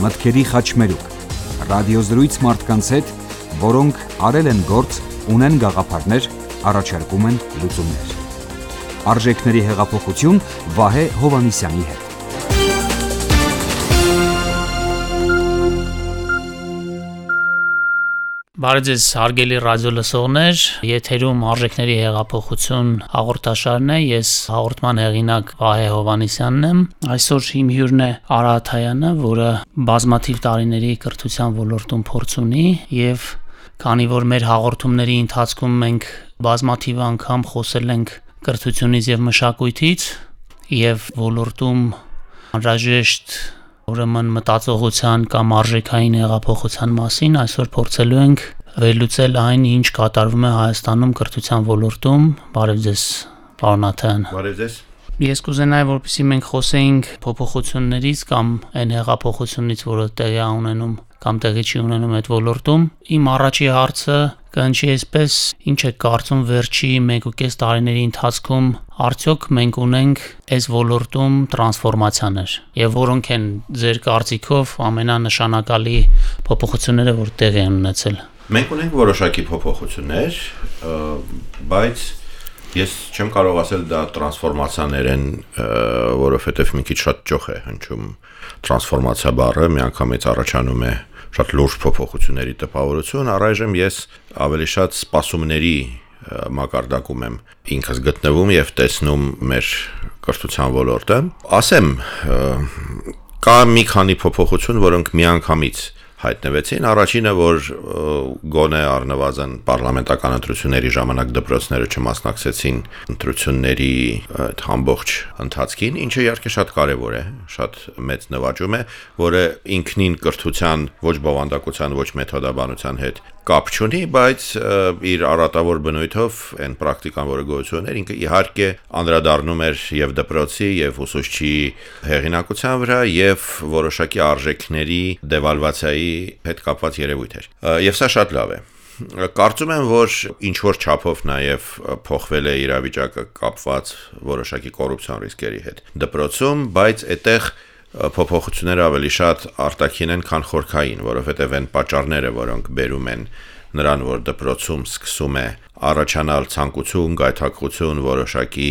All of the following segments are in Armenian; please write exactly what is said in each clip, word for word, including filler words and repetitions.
մտքերի խաչմերուկ, ռադիոզրույց մարդկանց հետ, որոնք արել են գործ, ունեն գաղափարներ, առաջարկում են լուծումներ։ Արժեքների հեղափոխություն Վահե Հովհաննիսյանի հետ։ Բարև ձեզ հարգելի ռադիո լսողներ, եթերում Արժեքների հեղափոխություն հաղորդաշարն է, ես հաղորդման հեղինակ Վահե Հովհաննիսյանն եմ։ Այսօր իմ հյուրն է Արարատ Հայանը, որը բազմաթիվ տարիների կրթության ոլորտում փորձ ունի, եւ քանի որ մեր հաղորդումների ընթացքում մենք բազմաթիվ անգամ խոսել ենք կրթությունից եւ մշակույթից եւ ոլորտում անհրաժեշտ ուրեմն մտածողության կամ արժեքային հեղափոխության մասին, այսօր փորձելու ենք վերլուծել այն, ինչ կատարվում է Հայաստանում կրթության ոլորտում։ Բարև ձեզ, պարոն Աթայան։ Բարև ձեզ։ Ես կուզենայի, որպեսզի մենք խոսեինք փոփոխություններից կամ այն հեղափոխությունից, որը տեղի է ունենում կամ տեղի չի ունենում այդ ոլորտում։ Իմ առաջի հարցը կհնչի այսպես. ինչ է կարծում վերջի մեկ ու կես տարիների ընթացքում արդյոք մենք ունենք այս ոլորտում տրանսֆորմացիաներ, եւ որոնք են ձեր կարծիքով ամենանշանակալի փոփոխությունները, որ տեղի են ունեցել։ Մենք ունենք որոշակի փոփոխություններ, բայց ես չեմ կարող ասել դա տրանսֆորմացիաներ են, որովհետեւ մի քիչ շատ ճոխ է հնչում տրանսֆորմացիա բառը, միանգամից առաջանում է շատ լուրջ փոփոխությունների տպավորություն, առայժմ ես ավելի շատ սպասումների մակարդակում եմ ինքս գտնվում եւ տեսնում մեր կրթության ոլորտը։ Ասեմ, կա մի քանի փոփոխություն, որոնք միանգամից հայտնվեցին։ Առաջինը, որ գոնե առնվազն պարլամենտական ընտրությունների ժամանակ դպրոցները չմասնակցեցին ընտրությունների այդ ամբողջ ընթացքին, ինչը իհարկե շատ կարևոր է, շատ մեծ նվաճում է, որը ինքնին կրթության ոչ բովանդակության, ոչ մեթոդաբանության հետ կապ չունի, բայց իր առատավոր բնույթով այն պրակտիկան, որը գոյություն ուներ, ինքը իհարկե անդրադառնում էր եւ դպրոցի եւ ուսուցչի հեղինակության վրա եւ որոշակի արժեքների դեվալվացիայի հետ կապված երևույթ էր։ Եվ սա շատ լավ է։ Կարծում եմ, որ ինչ որ չափով նաեւ փոխվել է իրավիճակը կապված որոշակի կոռուպցիոն ռիսկերի հետ դպրոցում, բայց այդտեղ փոփոխությունները ավելի շատ արտաքին են, քան խորքային, որովհետև այն պատճառները, որոնք բերում են նրան, որ դպրոցում սկսում է առաջանալ ցանկություն, գայթակղություն, որոշակի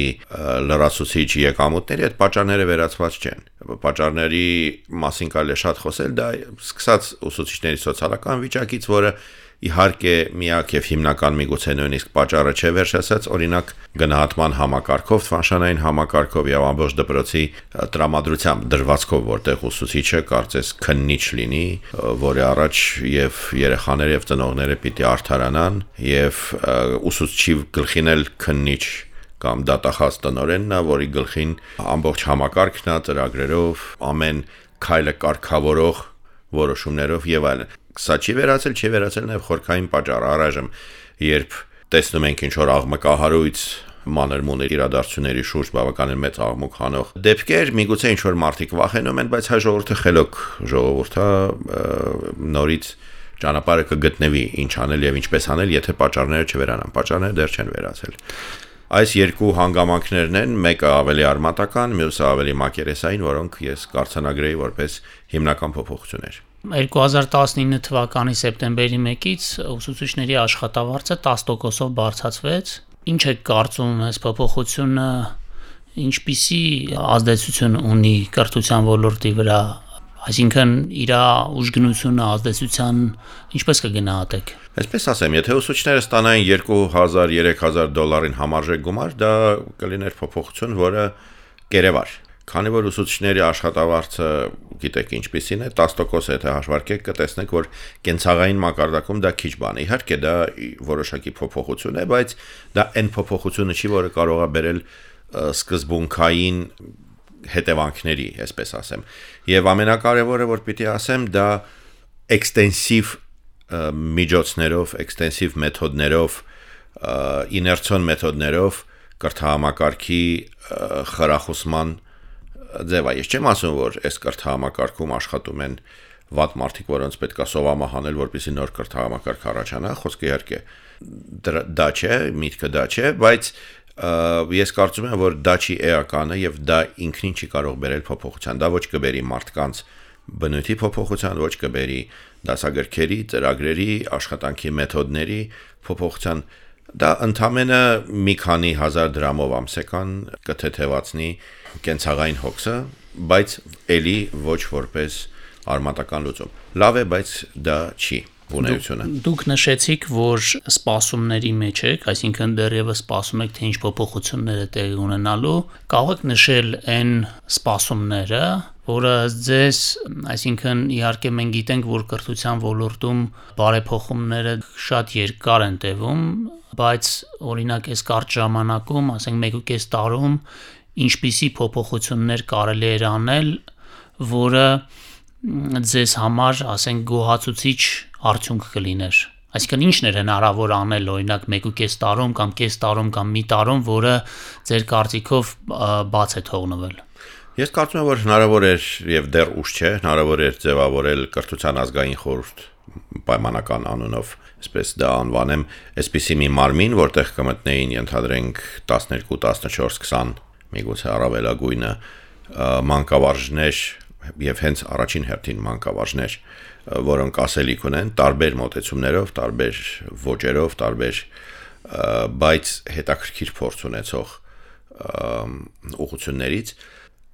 լրացուցիչ եկամուտների, այդ պատճառները վերացված չեն։ Պատճառների մասին կարելի է շատ խոսել, դա սկսած ուսուցիչների սոցիալական վիճակից, որը իհարկե միակ եւ հիմնական միգուցե նույնիսկ պատճառը չէ վերջացած, օրինակ գնահատման համակարգով, թվանշանային համակարգով եւ ամբողջ դպրոցի տրամադրությամբ դրվածքով, որտեղ ուսուցիչը կարծես քննիչ լինի, որի առաջ եւ երեխաները եւ ծնողները պիտի արդարանան եւ ուսուցչի գլխին էլ քննիչ կամ դատախազ տնօրենն է, որի գլխին ամբողջ համակարգն է ծրագրերով, ամեն քայլը կարգավորող որոշումներով եւ այլն։ Սա չի վերացել, չի վերացել նաև խորքային պատճառը, առայժմ երբ տեսնում ենք ինչ որ աղմկահարույց մանր-մունր իրադարձությունների շուրջ բավականին մեծ աղմուկ հանող դեպքեր, միգուցե ինչ որ մարդիկ վախենում են, բայց հայ ժողովուրդը խելոք ժողովուրդ է, նորից ճանապարհը կգտնվի ինչ անել եւ ինչպես անել, եթե պատճառները չվերանան, պատճառները դեռ չեն վերացել։ Այս երկու հանգամանքներն են, մեկը ավելի արմատական, մյուսը ավելի մակերեսային, որոնք ես կարձանագրեի որպես հիմնական փոփոխություններ։ երկու հազար տասնինը թվականի սեպտեմբերի մեկից ուսուցիչների աշխատավարձը տասը տոկոսով բարձրացվեց։ Ինչ է կարծում այս փոփոխությունը, ինչպիսի ազդեցություն ունի կրթության ոլորտի վրա, այսինքն իր ուժգնությունը, ազդեցության ինչպես կգնահատեք։ Այսպես ասեմ, եթե ուսուցիչները ստանային երկու հազար երեք հազար դոլարին համարժեք գումար, դա կլիներ փոփոխություն, որը կերևար։ Քանի որ ուսուցիչների աշխատավարձը գիտեք ինչպիսին է, տասը տոկոս եթե հաշվարկեք, կտեսնեք, որ կենցաղային մակարդակում դա քիչ բան է։ Իհարկե դա որոշակի փոփոխություն է, բայց դա այն փոփոխությունը չի, որը կարող է բերել սկզբունքային հետևանքների, այսպես ասեմ։ Եվ ամենակարևորը, որ պիտի ասեմ, դա էքստենսիվ միջոցներով, էքստենսիվ մեթոդներով, իներցիոն մեթոդներով կրթահամակարգի խրախուսման ձև է։ Ես չեմ ասում, որ այս կրթահամակարգում աշխատում են վատ մարդիկ, որոնց պետք է սովամահանել, որպեսզի նոր կրթահամակարգ առաջանա, խոսքը իհարկե դա չէ, միտքը դա չէ, բայց ես կարծում եմ, որ դա չի էականը եւ դա ինքնին չի կարող բերել փոփոխության, դա ոչ կբերի մարդկանց բնույթի փոփոխության, ոչ կբերի դասագրքերի, ծրագրերի, աշխատանքի մեթոդների փոփոխության։ Դա ընդամենը մի քանի հազար դրամով ամսական կթեթևացնի կենցաղային հոգսը, բայց էլի ոչ որպես արմատական լուծում։ Լավ է, բայց դա չի բունայությունը։ Դուք նշեցիք, որ սպասումների մեջ եք, այսինքն դեռևս սպասում եք, թե ինչ փոփոխություններ է տեղի ունենալու։ Կարող եք նշել այն սպասումները, որը ձեզ, այսինքն իհարկե մենք գիտենք, որ կրթության ոլորտում բարեփոխումները շատ երկար են տևում, բայց օրինակ այս կարճ ժամանակում, ասենք մեկ ու կես տարում, ինչպիսի փոփոխություններ կարելի էր անել, որը ձեզ համար, ասենք, գոհացուցիչ արդյունք կլիներ։ Այսինքն ինչն էր հնարավոր անել, օրինակ մեկ ու կես տարում կամ կես տարում կամ մի տարում, որը ձեր կարծիքով բաց է թողնվել։ Ես կարծում եմ, որ հնարավոր էր եւ դեռ ուշ չէ, հնարավոր էր ձևավորել կրթության ազգային խորհուրդ պայմանական անունով, այսպես դա անվանեմ, այսպիսի մի մարմին, որտեղ կմտնեին, ենթադրենք տասներկու, տասնչորս, քսան, միգուցե առավելագույնը մանկավարժներ եւ հենց առաջին հերթին մանկավարժներ, որոնք ասելիք ունեն տարբեր մոտեցումներով, տարբեր ոճերով, տարբեր բայց հետաքրքիր փորձ ունեցող ուղղություններից,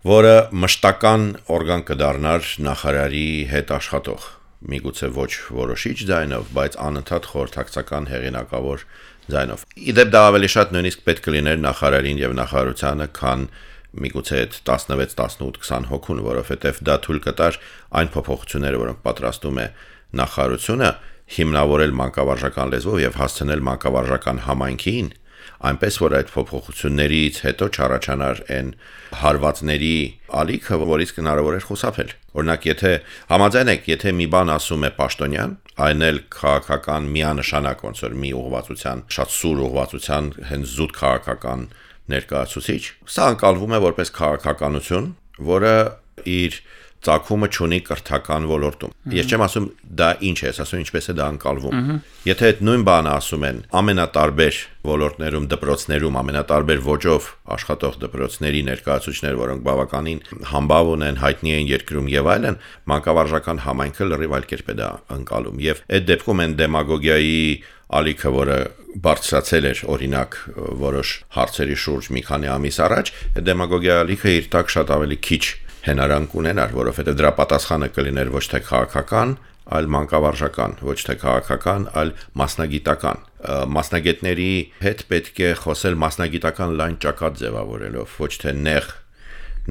որը մշտական օրգան կդառնար նախարարի հետ աշխատող, միգուցե ոչ որոշիչ ձայնով, բայց անընդհատ խորհրդակցական հեղինակավոր ձայնով։ Իդեպ դա ավելի շատ նույնիսկ պետք կլիներ նախարարին եւ նախարարությանը, քան միգուցե այդ տասնվեց, տասնութ, քսան հոգուն, որովհետև դա թույլ կտար այն փոփոխությունները, որոնք պատրաստում է նախարարությունը, հիմնավորել մանկավարժական լեզվով եւ հասցնել մանկավարժական համայնքին, այնպես որ այդ փոփոխություններից հետո չառաջանար այն հարվածների ալիքը, որից հնարավոր էր խուսափել։ Օրինակ, եթե համաձայն եք, եթե մի բան ասում է պաշտոնյան, այն էլ քաղաքական միանշանակ, ոնց որ մի ուղղվածության, շատ սուր ուղղվածության, հենց զուտ քաղաքական ներկայացուցիչ, սա անցալվում է որպես քաղաքականություն, որը իր ծագումը չունի կրթական ոլորտում։ Ես չեմ ասում դա ինչ է, ասում ինչպես է դա անցալվում։ Եթե այդ նույն բանը ասում են ամենատարբեր ոլորտներում, դպրոցներում, ամենատարբեր ոճով աշխատող դպրոցների ներկայացուցիչներ, որոնք բավականին համբավ ունեն, հայտնի են երկրում եւ այլն, մանկավարժական համայնքը լրիվ այլ կերպ է դա անցալում։ Եվ այդ դեպքում են դեմագոգիայի ալիքը, որը բարձրացել էր օրինակ որոշ հարցերի շուրջ մի քանի ամիս առաջ, այդ դեմագոգիայի ալիքը իր տակ շատ ավելի քիչ հենարան կունենար, որովհետև դրա պատասխանը կլիներ ոչ թե քաղաքական, այլ մանկավարժական, ոչ թե քաղաքական, այլ մասնագիտական։ Մասնագետների հետ պետք է խոսել մասնագիտական լայն ճակատ ձևավորելով, ոչ թե նեղ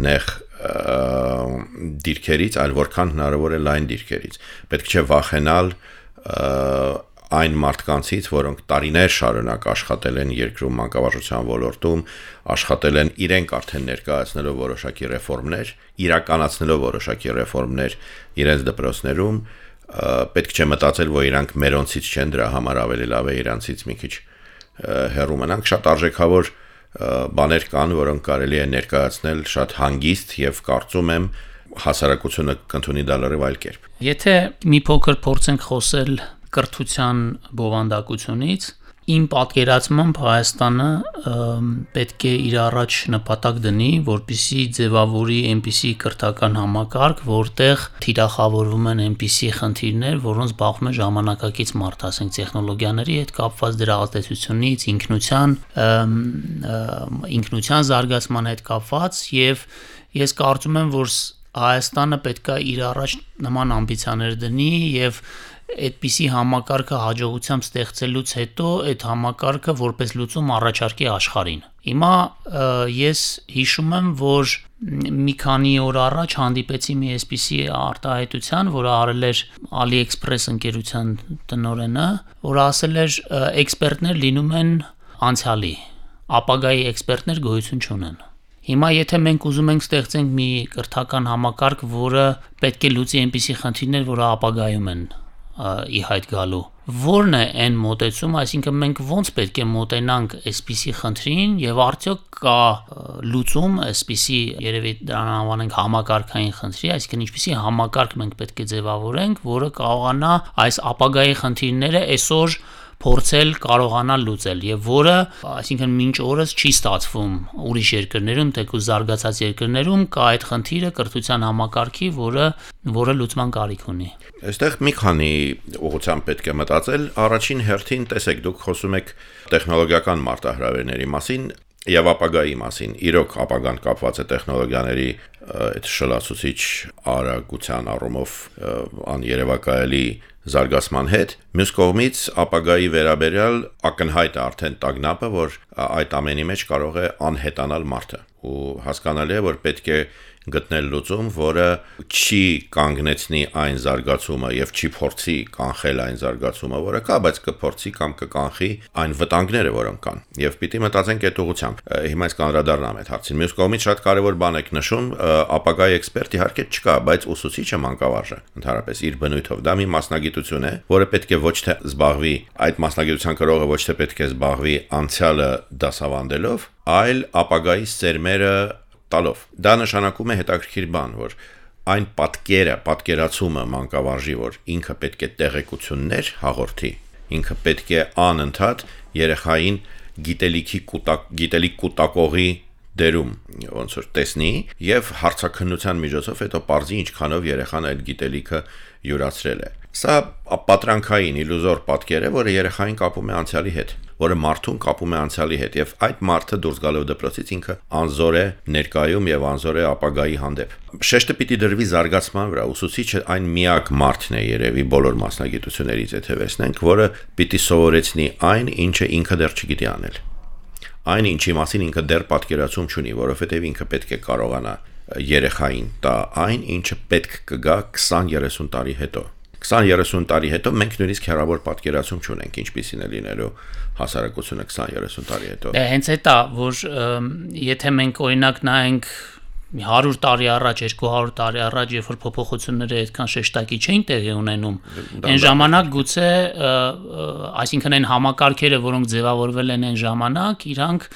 նեղ դիրքերից, այլ որքան հնարավոր է լայն դիրքերից։ Պետք չէ վախենալ այն մարդկանցից, որոնք տարիներ շարունակ աշխատել են երկրում մանկավարժության ոլորտում, աշխատել են իրենք արդեն ներկայացնելով որոշակի ռեֆորմներ, իրականացնելով որոշակի ռեֆորմներ իրենց դպրոցներում, պետք չէ մտածել, որ իրանք մերոնցից չեն, դրա համար ավելի լավ է իրանցից մի քիչ հեռու մնանք։ Շատ արժեքավոր բաներ կան, որոնք կարելի է ներկայացնել շատ հանգիստ եւ կարծում եմ հասարակությունը կընդունի դա լրիվ այլ կերպ։ Եթե մի փոքր փորձենք խոսել կրթության բովանդակությունից, իմ պատկերացմամբ Հայաստանը պետք է իր առաջ նպատակ դնի, որպեսզի ձևավորի այնպիսի կրթական համակարգ, որտեղ թիրախավորվում են այնպիսի խնդիրներ, որոնց բախվում է ժամանակակից մարդ, ասենք տեխնոլոգիաների հետ կապված, դրա ազդեցությունից, ինքնության, ինքնության զարգացման հետ կապված, եւ ես կարծում եմ, որ Հայաստանը պետք է իր առաջ նման ամբիցիաներ դնի եւ այդպիսի համակարգը հաջողությամբ ստեղծելուց հետո այդ համակարգը որպես լուծում առաջարկի աշխարհին։ Հիմա ես հիշում եմ, որ մի քանի օր առաջ հանդիպեցի մի այսպիսի արտահայտության, որը արել էր AliExpress ընկերության տնօրենը, որը ասել էր էքսպերտներ լինում են անցյալի, ապագայի էքսպերտներ գոյություն չունեն։ Հիմա եթե մենք ուզում ենք ստեղծենք մի կրթական համակարգ, որը պետք է լուծի այնպիսի խնդիրներ, որը ապագայում են ի հայտ գալու, ո՞րն է այն մոտեցումը, այսինքն մենք ո՞նց պետք է մոտենանք այսպիսի խնդրին եւ արդյոք կա լուծում այսպիսի, երևի դրան անվանենք համակարգային խնդրի, այսինքն ինչպիսի համակարգ մենք պետք է ձևավորենք, որը կարողանա այս ապագայի խնդիրները այսօր փորձել կարողանալ լուծել եւ որը, այսինքն մինչ օրս չի ստացվում ուրիշ երկրներում, թեկուզ զարգացած երկրներում կա այդ խնդիրը կրթության համակարգի, որը որը լուծման կարիք ունի։ Այստեղ մի քանի ուղղությամբ պետք է մտածել։ Առաջին հերթին, տեսեք, դուք խոսում եք տեխնոլոգիական մարտահրավերների մասին եւ ապագայի մասին։ Իրոք ապագան կապված է տեխնոլոգիաների այդ շլացուցիչ արագության առումով աներևակայելի զարգացման հետ։ Մյուս կողմից ապագայի վերաբերյալ ակնհայտ է արդեն տագնապը, որ այդ ամենի մեջ կարող է անհետանալ մարդը։ Ու հասկանալի է, որ պետք է գտնել լուծում, որը չի կանգնեցնի այն զարգացումը եւ չի փորձի կանխել այն զարգացումը, որը կա, բայց կփորձի կամ կկանխի այն վտանգները, որոնք կան։ Եվ պիտի մտածենք այդ ուղղությամբ։ Հիմա ես կանդրադառնամ այդ հարցին։ Մյուս կողմից շատ կարևոր բան եք նշում, ապագայի էքսպերտ իհարկե չկա, բայց ուսուցիչը մանկավարժը ընդհանրապես իր բնույթով դա մի մասնագիտություն է, որը պետք է ոչ թե զբաղվի այդ մասնագիտության կրողը ոչ թե պետք է զբաղվի անցյալը դասավանդելով, այլ ապագայի սերմերը տալով։ Դա նշանակում է հետաքրքիր բան, որ այն պատկերը, պատկերացումը մանկավարժի, որ ինքը պետք է տեղեկություններ հաղորդի, ինքը պետք է անընդհատ երեխային գիտելիքի կուտակ, գիտելիք կուտակողի դերում ոնց որ տեսնի եւ հարցաքննության միջոցով հետո պարզի ինչքանով երեխան այդ գիտելիքը յուրացրել է։ Սա պատրանքային իլյուզոր պատկեր է, որը երեխային կապում է անցյալի հետ, որը մարդուն կապում է անցյալի հետ եւ այդ մարդը դուրս գալով դպրոցից ինքը անզոր է ներկայում եւ անզոր է ապագայի հանդեպ։ Շեշտը պիտի դրվի զարգացման վրա, ուսուցիչը այն միակ մարդն է երևի բոլոր մասնագիտություններից եթե վերցնենք, որը պիտի սովորեցնի այն, ինչը ինքը դեռ չգիտի անել։ Այն ինչի մասին ինքը դեռ պատկերացում չունի, որովհետև ինքը պետք է կարողանա երեխային տա այն, ինչը պետք կգա քսան երեսուն տարի հետո։ քսան երեսուն տարի հետո մենք նույնիսկ հեռավոր պատկերացում չունենք, ինչպիսին է լինելու հասարակությունը քսան երեսուն տարի հետո։ Դե հենց այդ է, որ եթե մենք օրինակ նայենք հարյուր տարի առաջ, երկու հարյուր տարի առաջ, երբ որ փոփոխությունները այդքան շեշտակի չէին տեղի ունենում, այն ժամանակ գուցե, այսինքն այն համակարգերը, որոնք ձևավորվել են այն ժամանակ, իրանք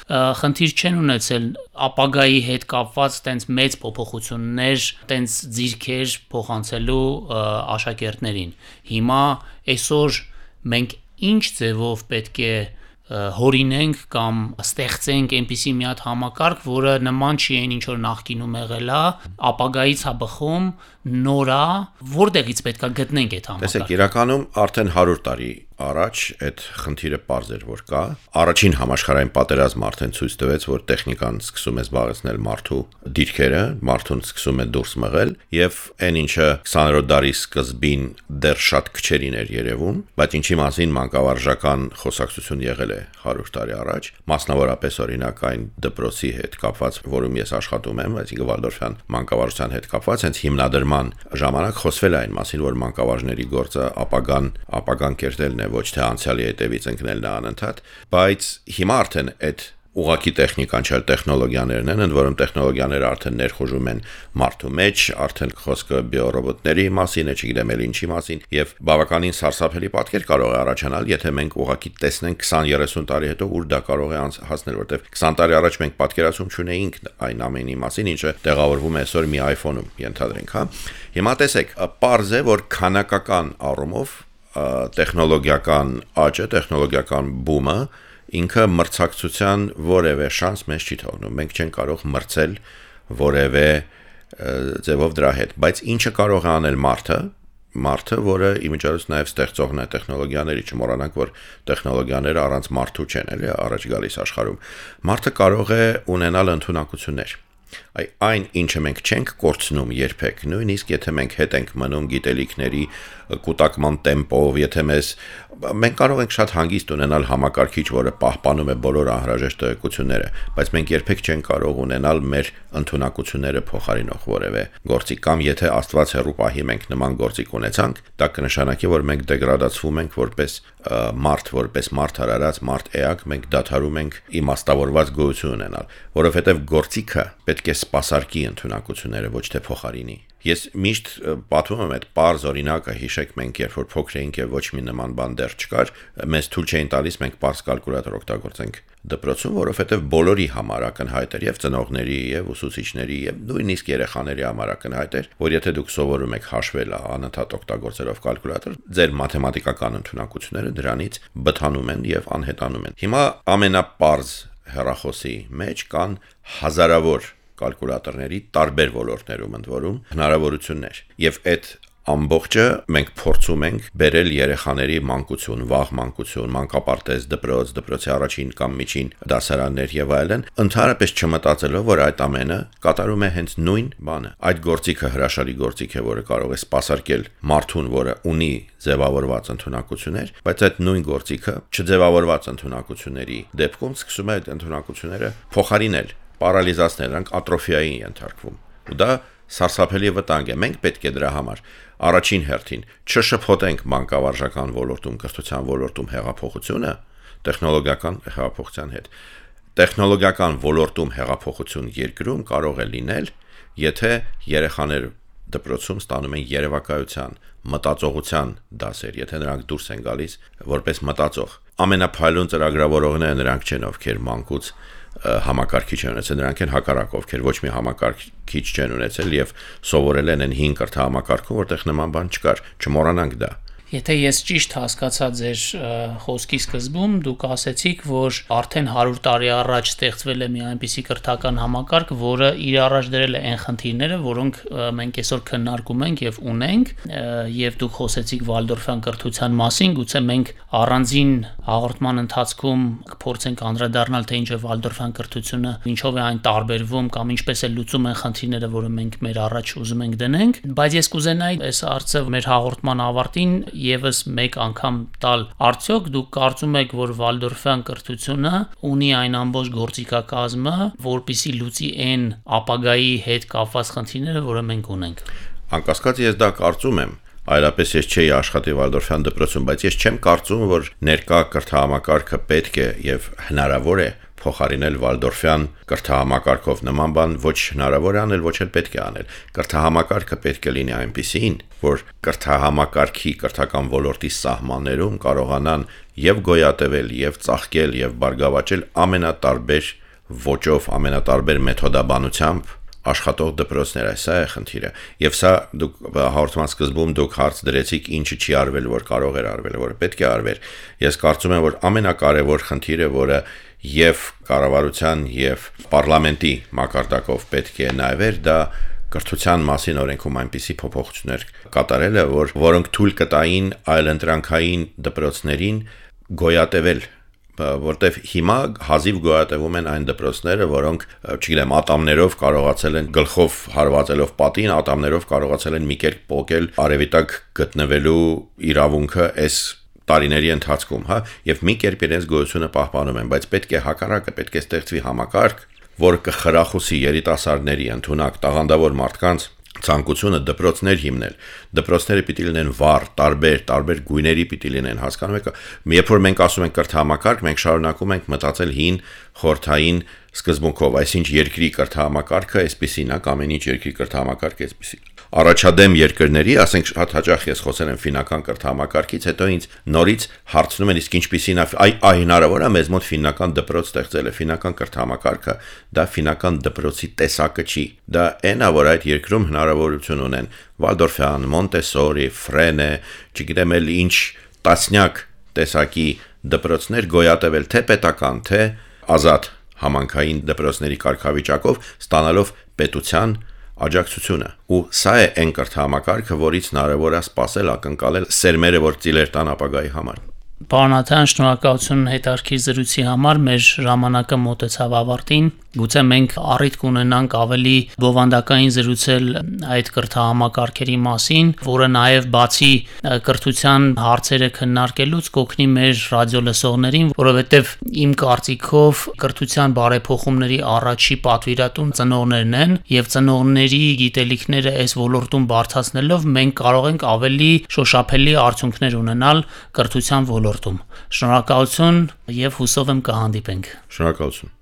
խնդիր չեն ունեցել ապագայի հետ կապված տենց մեծ փոփոխություններ, տենց ձիրքեր փոխանցելու աշակերտներին։ Հիմա այսօր մենք ինչ ձևով պետք է հորինենք կամ ստեղծենք այնպիսի մի հատ համակարգ, որը նման չի այն ինչ որ նախկինում եղել է, ապագայից է բխում, նոր է, որտեղից պետք է գտնենք այդ համակարգը։ Տեսեք, իրականում արդեն հարյուր տարի առաջ այդ խնդիրը պարզ էր, որ կա։ Առաջին համաշխարհային պատերազմը արդեն ցույց տվեց, որ տեխնիկան սկսում է զբաղեցնել մարդու դիրքերը, մարդուն սկսում է դուրս մղել, եւ այն ինչը քսաներորդ դարի սկզբին դեռ շատ քչերին էր երևում, բայց ինչի մասին մանկավարժական խոսակցություն եղել է հարյուր տարի առաջ, մասնավորապես օրինակ այն դպրոցի հետ կապված, որում ես աշխատում եմ, այսինքն Վալդորֆյան մանկավարժության հետ կապված, հենց հիմնադրման ժամանակ խոսվել է այն մասին, որ մանկավարժների գործը ապագան, ապագան կերտելն է, ոչ թե անցյալի հետևից ընկնելն է անընդհատ, բայց հիմա արդեն այդ ուղղակի տեխնիկան չէ, տեխնոլոգիաներն են, ընդ որում տեխնոլոգիաները արդեն ներխուժում են մարդու մեջ, արդեն խոսքը բիոռոբոտների մասին է, չգիտեմ էլ ինչի մասին, եւ բավականին սարսափելի պատկեր կարող է առաջանալ, եթե մենք ուղղակի տեսնենք քսան երեսուն տարի հետո ուր դա կարող է հասնել, որտեղ քսան տարի առաջ մենք պատկերացում չունեինք այն ամենի մասին, ինչը տեղավորվում է այսօր մի iPhone-ում, ենթադրենք, հա։ Հիմա տեսեք, պարզ է, որ քանակական առումով տեխնոլոգիական աճը, տեխնոլոգիական բումը ինքը մրցակցության որևէ շանս մեզ չի թողնում։ Մենք չենք կարող մրցել որևէ ձևով դրա հետ, բայց ինչը կարող է անել մարդը, մարդը, որը իմիջիայլոց նաև ստեղծողն է տեխնոլոգիաների, չմոռանանք, որ տեխնոլոգիաները առանց մարդու չեն, էլի, առաջ գալիս աշխարհում։ Մարդը կարող է ունենալ ընդունակություններ։ Այն ինչը մենք չենք կորցնում երբեք, նույնիսկ եթե մենք հետ ենք մնում գիտելիքների կուտակման տեմպով, եթե մեզ մենք կարող ենք շատ հանգիստ ունենալ համակարգիչ, որը պահպանում է բոլոր անհրաժեշտ տեղեկությունները, բայց մենք երբեք չենք կարող ունենալ մեր ընդունակությունները փոխարինող որևէ գործիք, կամ եթե Աստված հեռու պահի մենք նման գործիք ունեցանք, դա կնշանակի, որ մենք դեգրադացվում ենք որպես մարդ, որպես մարդ հարարած, մարդ էակ, մենք դադարում ենք իմաստավորված գոյություն ունենալ, որովհետև գործիքը պետք է սպասարկի ընդունակությունները, ոչ թե փոխարինի։ Ես միշտ պատմում եմ այդ պարզ օրինակը, հիշեք մենք երբ որ փոքր էինք եւ ոչ մի նման բան դեռ չկար, մեզ թույլ չէին տալիս մենք պարզ կալկուլյատոր օգտագործենք դպրոցում, որովհետեւ բոլորի համար ակնհայտ էր եւ ծնողների եւ ուսուցիչների եւ նույնիսկ երեխաների համար ակնհայտ էր, որ եթե դուք սովորում եք հաշվել անընդհատ օգտագործելով կալկուլյատոր, ձեր մաթեմատիկական ընդունակությունները դրանից բթանում են եւ անհետանում են։ Հիմա ամենապարզ հեռախոսի մեջ կան հազարավոր կալկուլյատորների տարբեր ոլորտներում ընդ որում հնարավորություններ եւ այդ ամբողջը մենք փորձում ենք բերել երեխաների մանկություն, վաղ մանկություն, մանկապարտեզ, դպրոց, դպրոցի առաջին կամ միջին դասարաններ եւ այլն, ընդհանրապես չմտածելով, որ այդ ամենը կատարում է հենց նույն բանը։ Այդ գործիքը հրաշալի գործիք է, որը կարող է սպասարկել մարդուն, որը ունի ձևավորված ընդունակություններ, բայց այդ նույն գործիքը չձևավորված ընդունակությունների դեպքում սկսում է այդ ընդունակությունները փոխարինել, պարալիզացնել, նրանք ատրոֆիայի ենթարկվում։ Ու դա սարսափելի վտանգ է։ Մենք պետք է դրա համար առաջին հերթին չշփոթենք մանկավարժական ոլորտում, կրթության ոլորտում հեղափոխությունը տեխնոլոգիական հեղափոխության հետ։ Տեխնոլոգիական ոլորտում հեղափոխություն երկրում կարող է լինել, եթե երեխաներ դպրոցում ստանում են երևակայության, մտածողության դասեր, եթե նրանք դուրս են գալիս որպես մտածող։ Ամենափայլուն ծրագրավորողները նրանք չեն, ովքեր մանկուց համակարգիչ են ունեցել, նրանք են հակառակ, ովքեր ոչ մի համակարգիչ չեն ունեցել եւ սովորել են հին կրթահամակարգում, որտեղ նման բան չկար, չմոռանանք դա։ Եթե ես ճիշտ հասկացա ձեր խոսքի սկզբում, դուք ասեցիք, որ արդեն հարյուր տարի առաջ ստեղծվել է մի այնպիսի կրթական համակարգ, որը իր առաջ դրել է այն խնդիրները, որոնք մենք այսօր քննարկում ենք եւ ունենք, եւ դուք խոսեցիք Վալդորֆյան կրթության մասին, գուցե մենք առանձին հաղորդման ընթացքում կփորձենք անդրադառնալ, թե ինչ է Վալդորֆյան կրթությունը, ինչով է այն տարբերվում կամ ինչպես է լուծում են խնդիրները, որը մենք մեր առաջ ուզում ենք դնենք, բայց ես կուզենայի այս հարցը մեր հաղորդման ավարտին եւս մեկ անգամ տալ, արդյոք դուք կարծում եք, որ Վալդորֆյան կրթությունը ունի այն ամբողջ գործիքակազմը, որպեսզի լուծի այն ապագայի հետ կապված խնդիրները, որը մենք ունենք։ Անկասկած ես դա կարծում եմ, այլապես ես չէի աշխատի Վալդորֆյան դպրոցում, բայց ես չեմ կարծում, որ ներկա կրթահամակարգը պետք է եւ հնարավոր է փոխարինել Վալդորֆյան կրթահամակարգով։ Նման բան ոչ հնարավոր է անել, ոչ էլ պետք է անել։ Կրթահամակարգը պետք է լինի այնպիսին, որ կրթահամակարգի կրթական ոլորտի սահմաններում կարողանան եւ գոյատևել, եւ ծաղկել, եւ բարգավաճել ամենատարբեր ոճով, ամենատարբեր մեթոդաբանությամբ աշխատող դպրոցներ, սա է խնդիրը։ Եվ սա դուք հաղորդման սկզբում դուք հարց դրեցիք, ինչը չի արվել, որ կարող էր արվել, որը պետք է արվեր։ Ես կարծում եմ, որ ամենակարևոր խնդիրը, որը եւ կառավարության եւ պարլամենտի մակարդակով պետք է նայվեր, դա կրթության մասին օրենքում այնպիսի փոփոխություններ կատարելը, որ որոնք թույլ կտային այլընտրանքային դպրոցներին գոյատևել, որտեվ հիմա հազիվ գոյատևում են այն դպրոցները, որոնք, չգիտեմ, ատամներով կարողացել են գլխով հարվածելով պատին, ատամներով կարողացել են մի կերպ պոկել արևիտակ գտնվելու իրավունքը այս տարիների ընթացքում, հա, եւ մի կերպ իրենց գոյությունը պահպանում են, բայց պետք է հակառակը, պետք է ստեղծվի համակարգ, որը կխրախուսի երիտասարդների ընդունակ տաղանդավոր մարդկանց ցանկությունը դպրոցներ հիմնել։ Դպրոցները պիտի լինեն վառ, տարբեր, տարբեր գույների պիտի լինեն, հասկանում եք։ Երբ որ մենք ասում ենք կրթահամակարգ, մենք շարունակում ենք մտածել հին խորհրդային սկզբունքով, այսինքն երկրի կրթահամակարգը այսպեսին է, ամեն ինչ երկրի կրթահամակարգը այսպեսին։ Առաջադեմ երկրների, ասենք շատ հաճախ ես խոսել եմ ֆինական կրթահամակարգից, հետո ինձ նորից հարցնում են, իսկ ինչպեսին է, այ այ հնարավոր է մեզ մոտ ֆինական դպրոց ստեղծել է, ֆինական կրթահամակարգը, դա ֆինական դպրոցի տեսակը չի։ Դա այն է, որ այդ երկրում հնարավորություն ունեն Վալդորֆյան, Մոնտեսորի, Ֆրենե, չգիտեմ էլ ինչ տասնյակ տեսակի դպրոցներ գոյատևել թե պետական, թե ազատ համանքային դպրոցների կարգավիճակով, ստանալով պետության աջակցությունը։ Ու սա է այն կրթահամակարգը, որից հնարավոր է սպասել ակնկալել սերմերը, որ ծիլեր տան ապագայի համար։ Պարոն Աթայան, շնորհակալություն հետաքրքիր զրույցի համար, մեր ժամանակը մոտեցավ ավարտին։ Գուցե մենք առիթ կունենանք ավելի բովանդակային զրուցել այդ կրթահամակարգերի մասին, որը նաև բացի կրթության հարցերը քննարկելուց կօգնի մեր ռադիոլսողներին, որովհետև իմ կարծիքով կրթության բարեփոխումների առաջի պատվիրատուն ծնողներն են, եւ ծնողների գիտելիքները այս ոլորտում բարձրացնելով մենք կարող ենք ավելի շոշափելի արդյունքներ ունենալ կրթության ոլորտում։ Շնորհակալություն եւ հուսով եմ կհանդիպենք։ Շնորհակալություն։